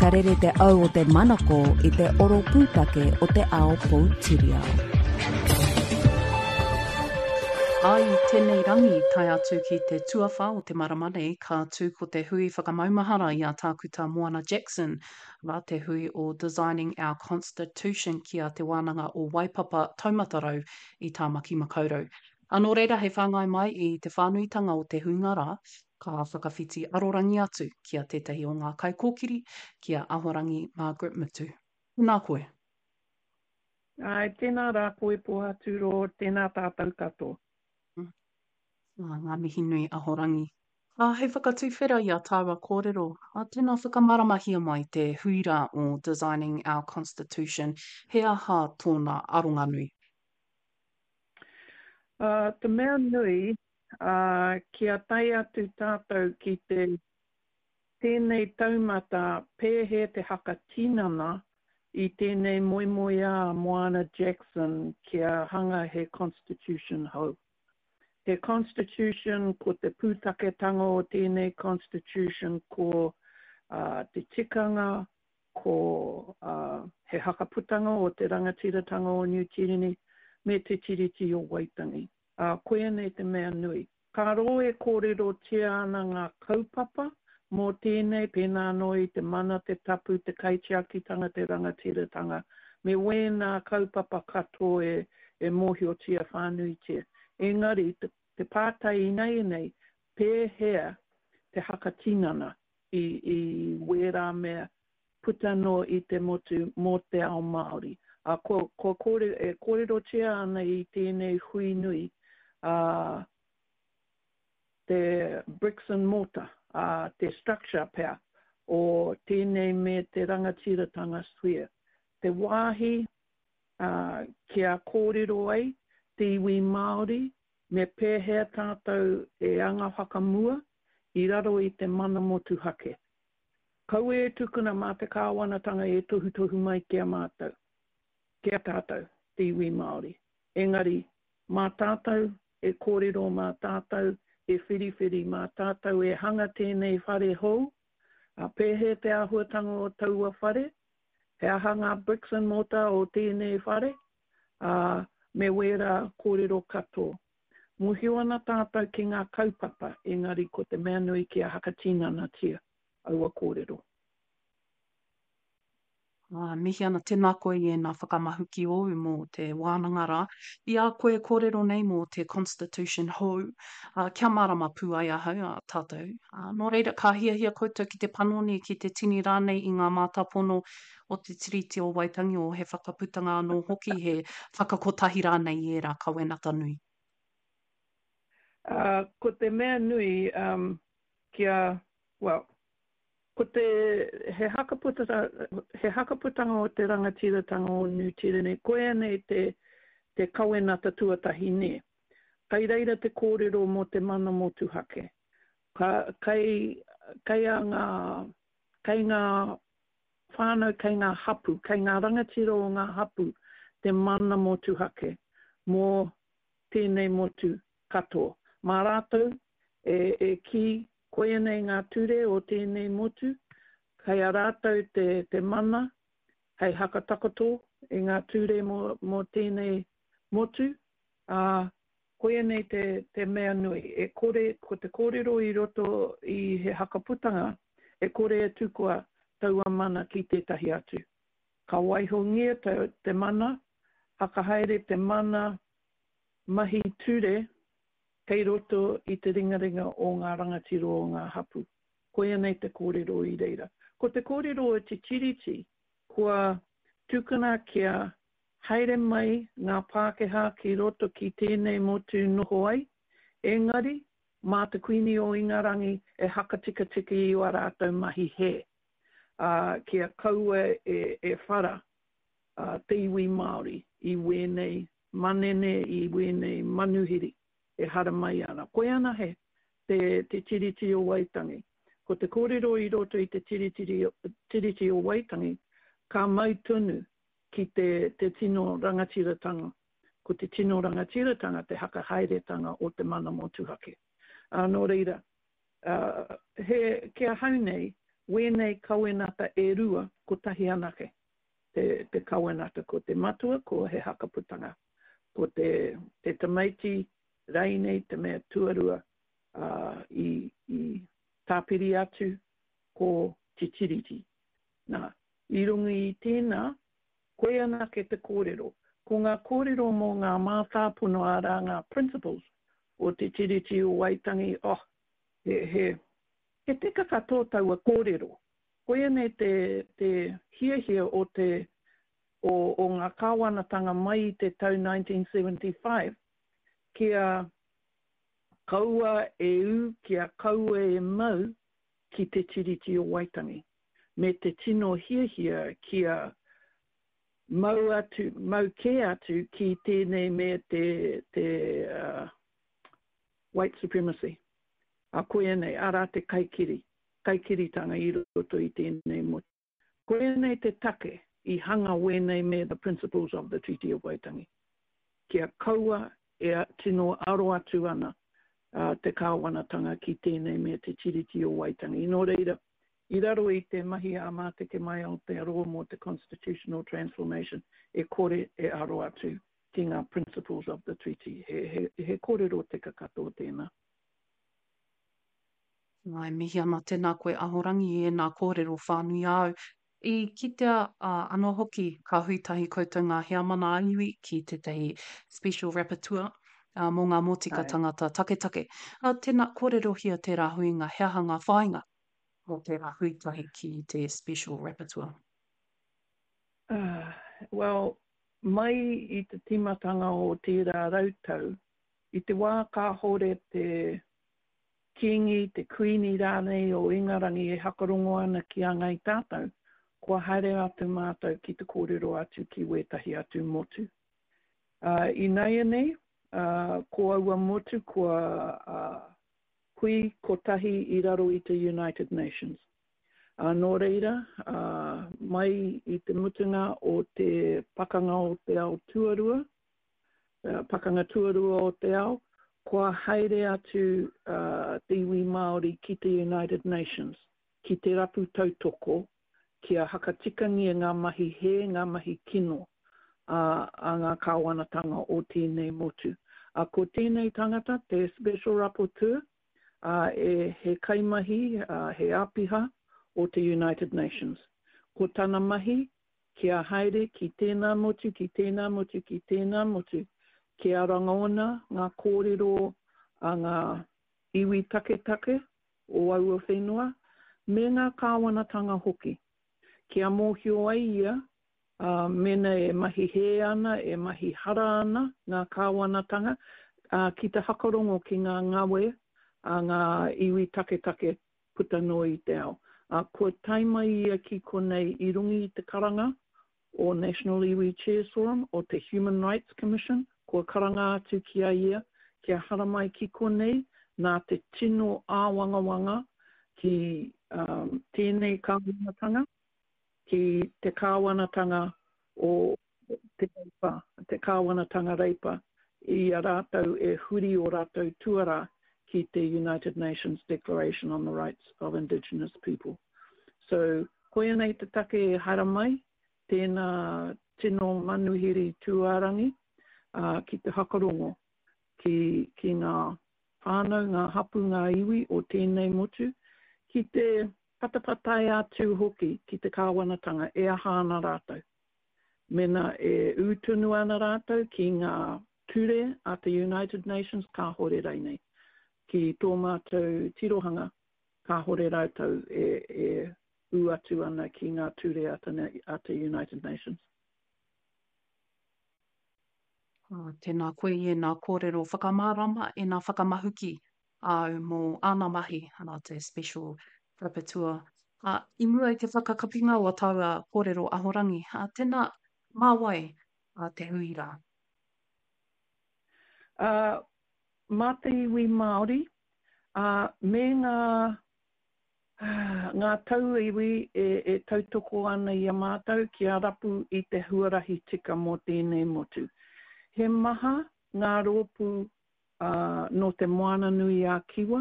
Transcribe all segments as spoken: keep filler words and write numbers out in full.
Ka rere te au o te manako i te oro pūtake o te ao poutiriao. Ā, i tēnei rangi, tae atu ki te tuawhā o te marama nei, ka tū ko te hui whakamaumahara i a Tākuta Moana Jackson, arā, te hui o Designing Our Constitution ki a Te Wānanga o Waipapa Taumata Rau i Tāmaki Makaurau. Ā, nō reira hei whāngai mai i te whānuitanga o te huinga rā, ka whakawhiti arorangi atu ki a tētahi o ngā kaikōkiri, ki a Ahorangi Margaret Mutu. Tēnā koe. Āe, tēnā rā koe Pohatu tēnā tātou katoa. Ā, ngā mihi nui Ahorangi. Ā, hei whakatuwhera i a tāua kōrero, ā, tēnā whakamāramahia mai te hui rā o Designing Our Constitution, he aha tōna aronga nui? Ā, te mea nui, ā, kia tae atu tātou ki te tēnei taumata pēhea te hakatinana i tēnei moemoeā a Moana Jackson kia hanga he constitution hou. He constitution ko te pūtaketanga o tēnei constitution ko uh, te tikanga, ko uh, he hakaputanga o te rangatiratanga o Niu Tīreni me te Tiriti o Waitangi. Ā, koianei te mea nui. Ka rō e kōrerotia ana ngā kaupapa mō tēnei, pēnā anō i te mana, te tapu, te kaitiakitanga, te rangatiratanga, me wēnā kaupapa katoa e, e mōhiotia whānuitia. Engari, te, te pātai ināianei, pēhea te hakatinana i, i wērā mea puta noa i te motu mō te ao Māori. Ā, kua, kua kōrero, e kōrerotia ana i tēnei hui nui, ā, te bricks and mortar, ā, te structure pea o tēnei me te rangatiratanga sphere. Te wāhi, ā, kia kōrero ai te iwi Māori me pēhea tātou e anga whakamua i raro i te mana motuhake. Kaua e tukuna mā te kāwanatanga e tohutohu mai ki a mātou, ki a tātou, te iwi Māori. Engari, mā tātou e kōrero, mā tātou e whiriwhiri, mā tātou e hanga tēnei whare hou, ā, pēhea te āhuatanga o taua whare, he aha ngā bricks and mortar o tēnei whare, ā, me wērā kōrero katoa. Mōhio ana tātou ki ngā kaupapa, engari ko te mea nui kia hakatinanatia aua kōrero. Ā, mihi ana, tēnā koe i ēnā whakamahuki ōu mō te wānanga rā. I a koe e kōrero nei mō te Constitution hou, ā, kia mārama pū ai ahau, ā, tātou. Ā, nō reira, ka hiahia koutou ki te panoni, ki te tini rānei i ngā mātāpono o te Tiriti o Waitangi, o he whakaputanga anō hoki, he whakakotahi rānei i ērā kawenata nui. Ā, ko te mea nui, um, kia, well, ko te, he hakaputanga, he hakaputanga o te rangatiratanga o Niu Tīreni, koia nei te, te kawenata tuatahi nē. Kai reira te kōrero mō te mana motuhake. Ka, kai, kai a ngā, kai ngā whānau, kai ngā hapu, kai ngā rangatira o ngā hapu te mana motuhake mō tēnei motu katoa. Mā rātou e, e kī koia nei ngā ture o tēnei motu, kei a rātou te, te mana hei hakatakoto i ngā ture mō, mō tēnei motu, ā, koia nei te, te mea nui. E kore, ko te kōrero i roto i he hakaputanga, e kore e tukua taua mana ki tētahi atu. Ka waihongia te, te mana, hakahaere te mana mahi ture kei roto i te ringaringa o ngā rangatira o ngā hapu. Koia nei te kōrero i reira. Ko te kōrero o te Tiriti, kua tukuna kia haere mai ngā Pākehā ki roto ki tēnei motu noho ai, engari mā te Kuini o Ingarangi e hakatikatika i wā rātou mahi hē, ā, kia kaua e, e whara ā, te iwi Māori i wēnei manene, i wēnei manuhiri e haramai ana. Koia anahe te, te Tiriti o Waitangi. Ko te kōrero i roto i te Tiriti, Tiriti o Waitangi, ka mau tonu ki te, te tino rangatiratanga. Ko te tino rangatiratanga te hakahaeretanga o te mana motuhake. Ā, nō reira, uh, he, ki ahau nei, wēnei kawenata e rua, kotahi anake te, te kawenata. Ko te matua, ko He Hakaputanga. Ko te, te tamaiti reinei, te mea tuarua uh, i, i tāpiri atu ko Te Tiriti. Nā, i runga i tēnā, koe anake te kōrero. Ko ngā kōrero mō ngā mātāpono arā ngā principles o Te Tiriti o Waitangi, oh, he, he, he teka katoa taua kōrero. Koia nei te, te hiahia o te, o, o ngā kāwanatanga mai i te tau nineteen seventy-five kia kaua e ū, kia kaua e mau ki Te Tiriti o Waitangi, me te tino hiahia kia mau atu, mau kē atu ki tēnei me te, te uh, white supremacy. A koia nei, arā te kaikiri, kaikiritanga i roto i tēnei motu. Koia nei te take i hanga wēnei me the principles of the Treaty of Waitangi. Kia kaua e tino aro atu ana uh, te kāwanatanga ki tēnei me te Tiriti o Waitangi. Nō reira, i raro i te mahi a Māteke Mai Aotearoa mō te Constitutional Transformation, e kore e aro atu ki ngā principles of the treaty. He, he, he kōrero teka katoa tēnā. Nā, e mihi ana tēnā koe Ahorangi i ēnā kōrero whānui āu. I kitea uh, anō hoki ka hui tahi koutou ngā heamana ā-iwi ki tētahi special rapporteur uh, mō ngā mōtika Ai. tangata taketake. Uh, tēnā, kōrerohia tērā huinga, he aha ngā whāinga mō tērā hui tahi ki te special rapporteur? Uh, well, mai i te tīmatanga o tērā rautau, i te wā kāhore te kīngi, te kuini rānei o Ingarangi e hakarongo ana ki a ngai tātou, kua haere atu mātou ki te kōrero atu ki wētahi atu motu. Uh, Ināianei, uh, ko aua motu kua uh, hui kotahi i raro i te United Nations. Uh, nō reira, uh, mai i te mutunga o te pakanga o te ao tuarua, uh, pakanga tuarua o te ao, kua haere atu uh, te iwi Māori ki te United Nations, ki te rapu tautoko, kia hakatikangia ngā mahi hē, ngā mahi kino uh, a ngā kāwanatanga o tēnei motu. Uh, ko tēnei tangata, te Special Rapporteur, uh, e, he kaimahi, uh, he āpiha o te United Nations. Ko tana mahi, kia haere ki tēnā motu, ki tēnā motu, ki tēnā motu, kia rangona ngā kōrero a ngā iwi taketake o aua whenua, me ngā kāwanatanga hoki. Kia mōhio ai ia, uh, mena e mahi hē ana, e mahi hara ana ngā kāwanatanga, uh, ki te hakarongo ki ngā ngawe a ngā iwi taketake puta noa i te ao. Uh, kua tae mai ia ki konei i runga i te karanga o National Iwi Chairs Forum, o te Human Rights Commission, kua karanga atu ki a ia, kia haramai ki konei, nā te tino āwangawanga ki um, tēnei kāwanatanga, ki te kāwanatanga o te Reipa, te kāwanatanga Reipa, i a rātou e huri o rātou tuara ki te United Nations Declaration on the Rights of Indigenous People. So, koia nei te take e haramai, tēnā tino manuhiri tūārangi uh, ki te hakarongo, ki, ki ngā whānau, ngā hapu, ngā iwi o tēnei motu, ki te patapatai atu hoki ki te kāwanatanga e aha ana rātou. Mena e ū tonu ana rātou ki ngā ture a te United Nations kāhore reinei. Ki tō mātou tirohanga kāhore rātou e, e ū atu ana ki ngā ture a te, a te United Nations. Oh, tēnā koe i ēnā kōrero whakamārama, ēnā whakamahuki āu mō āna mahi, ana te Special Rapporteur. Uh, i mua i te whakakapinga o a tāua kōrero ahorangi, uh, tēnā, mā wai uh, te hui rā? Uh, mā te iwi Māori, uh, me ngā, ngā tauiwi e, e tautoko ana i a mātou kia rapu i te huarahi tika mō tēnei motu. He maha ngā rōpū uh, nō te Moana Nui a Kiwa,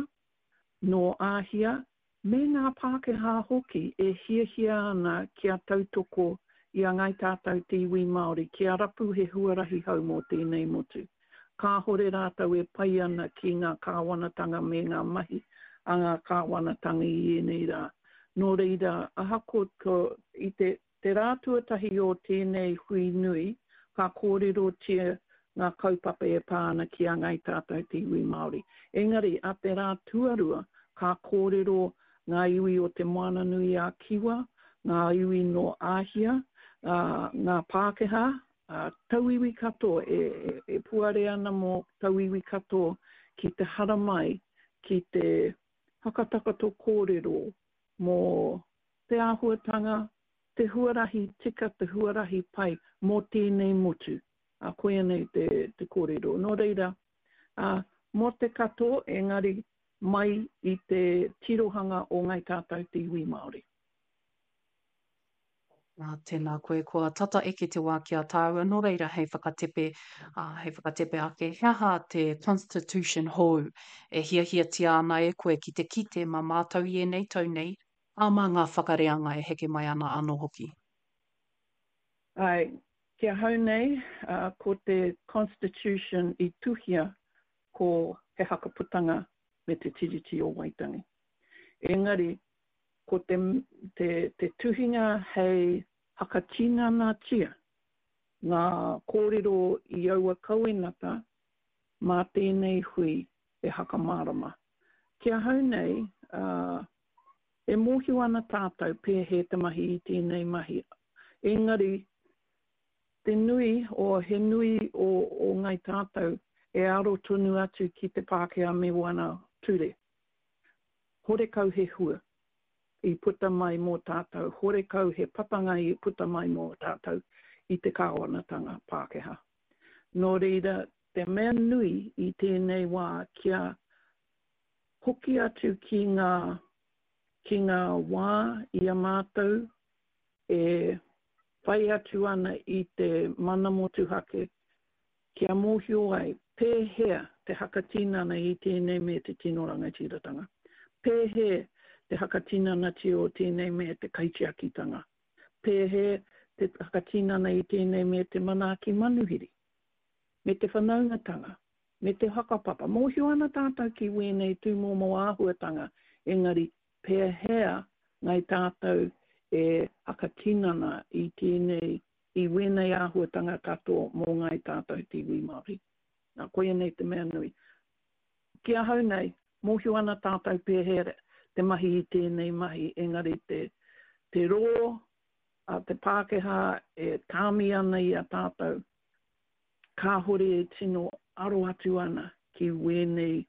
nō Āhia, Me ngā Pākehā hoki e hiahia ana kia tautoko i a Ngāi Tātou te iwi Māori kia rapu he huarahi hou mō tēnei motu. Kāhore rātou e pai ana ki ngā kāwanatanga me ngā mahi a ngā kāwanatanga i ēnei rā. Nō reira, ahakoa ko i te Te rā tuatahi o tēnei hui nui, ka kōrerotia ngā kaupapa e pā ana ki a Ngāi Tātou te iwi Māori. Engari, a te rā tuarua, ka kōrero ngā iwi o Te Moananui-a-Kiwa, ngā iwi nō Āhia, ngā Pākehā, tauiwi katoa e, e, e puare ana mō tauiwi katoa ki te haramai, ki te hakatakato kōrero mō te āhuatanga, te huarahi tika, te huarahi pai mō tēnei motu. Ā, koia nei te, te kōrero. Nō reira, ā, mō te katoa, engari mai i te tirohanga o Ngāi Tātou te iwi Māori. Ā, tēnā koe, kua tata eke te wā ki a tāua, nō reira hei whakatepe, ā, hei whakatepe ake, he aha te Constitution hou e hiahiatia ana e koe ki te kite mā mātou i ēnei tau nei, ā, mā ngā whakareanga e heke mai ana anō hoki? Āe, ki ahau nei, ā, ko te Constitution i tuhia ko He Hakaputanga me Te Tiriti o Waitangi. Engari, ko te, te, te tuhinga hei hakatinanatia ngā kōrero i aua kawenata mā tēnei hui e hakamārama. Ki ahau nei, ā, e mōhio ana tātou pēhea te mahi i tēnei mahi, engari te nui o, he nui o, o Ngāi Tātou e aro tonu atu ki te Pākehā me wana ture. Horekau he hua i puta mai mō tātou, horekau he papanga i puta mai mō tātou i te kāwanatanga Pākehā. Nō reira, te mea nui i tēnei wā kia hoki atu ki ngā, ki ngā wā i a mātou e whai atu ana i te mana motuhake kia mōhio ai pēhea te hakatinana i tēnei me te tino rangatiratanga, pēhea te hakatinanatia o tēnei me te kaitiakitanga, pēhea te hakatinana i tēnei me te manaaki manuhiri, me te whanaungatanga, me te whakapapa. Mōhio ana tātou ki wēnei tūmomo āhuatanga, engari pēhea ngai tātou e hakatinana i tēnei, i wēnei āhuatanga katoa mō ngāi tātou te iwi Māori. Nā, koia nei te mea nui. Ki ahau nei, mōhio ana tātou pēhea te mahi i tēnei mahi, engari te, te rō a te Pākehā e tāmi ana i a tātou, kāhore e tino aro atu ana ki wēnei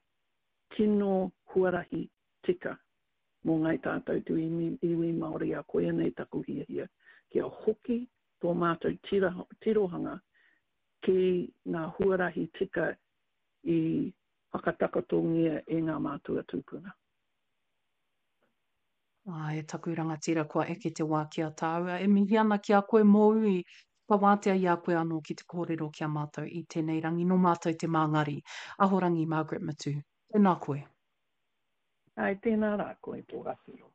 tino huarahi tika mō ngāi tātou te iwi Māori, ā, koia nei taku hiahia, kia hoki tō mātou tira, tirohanga ki ngā huarahi tika i whakatakotongia e ngā mātua tūpuna. Ā, e taku rangatira, kua eke te wā ki a tāua. E mihi ana ki a koe mōu i whakawātea i a koe anō ki te kōrero ki a mātou i tēnei rangi. Nō mātou te māngari. Ahorangi Margaret Mutu. Tēnā koe. Āe, tēnā rā koe tō awhero.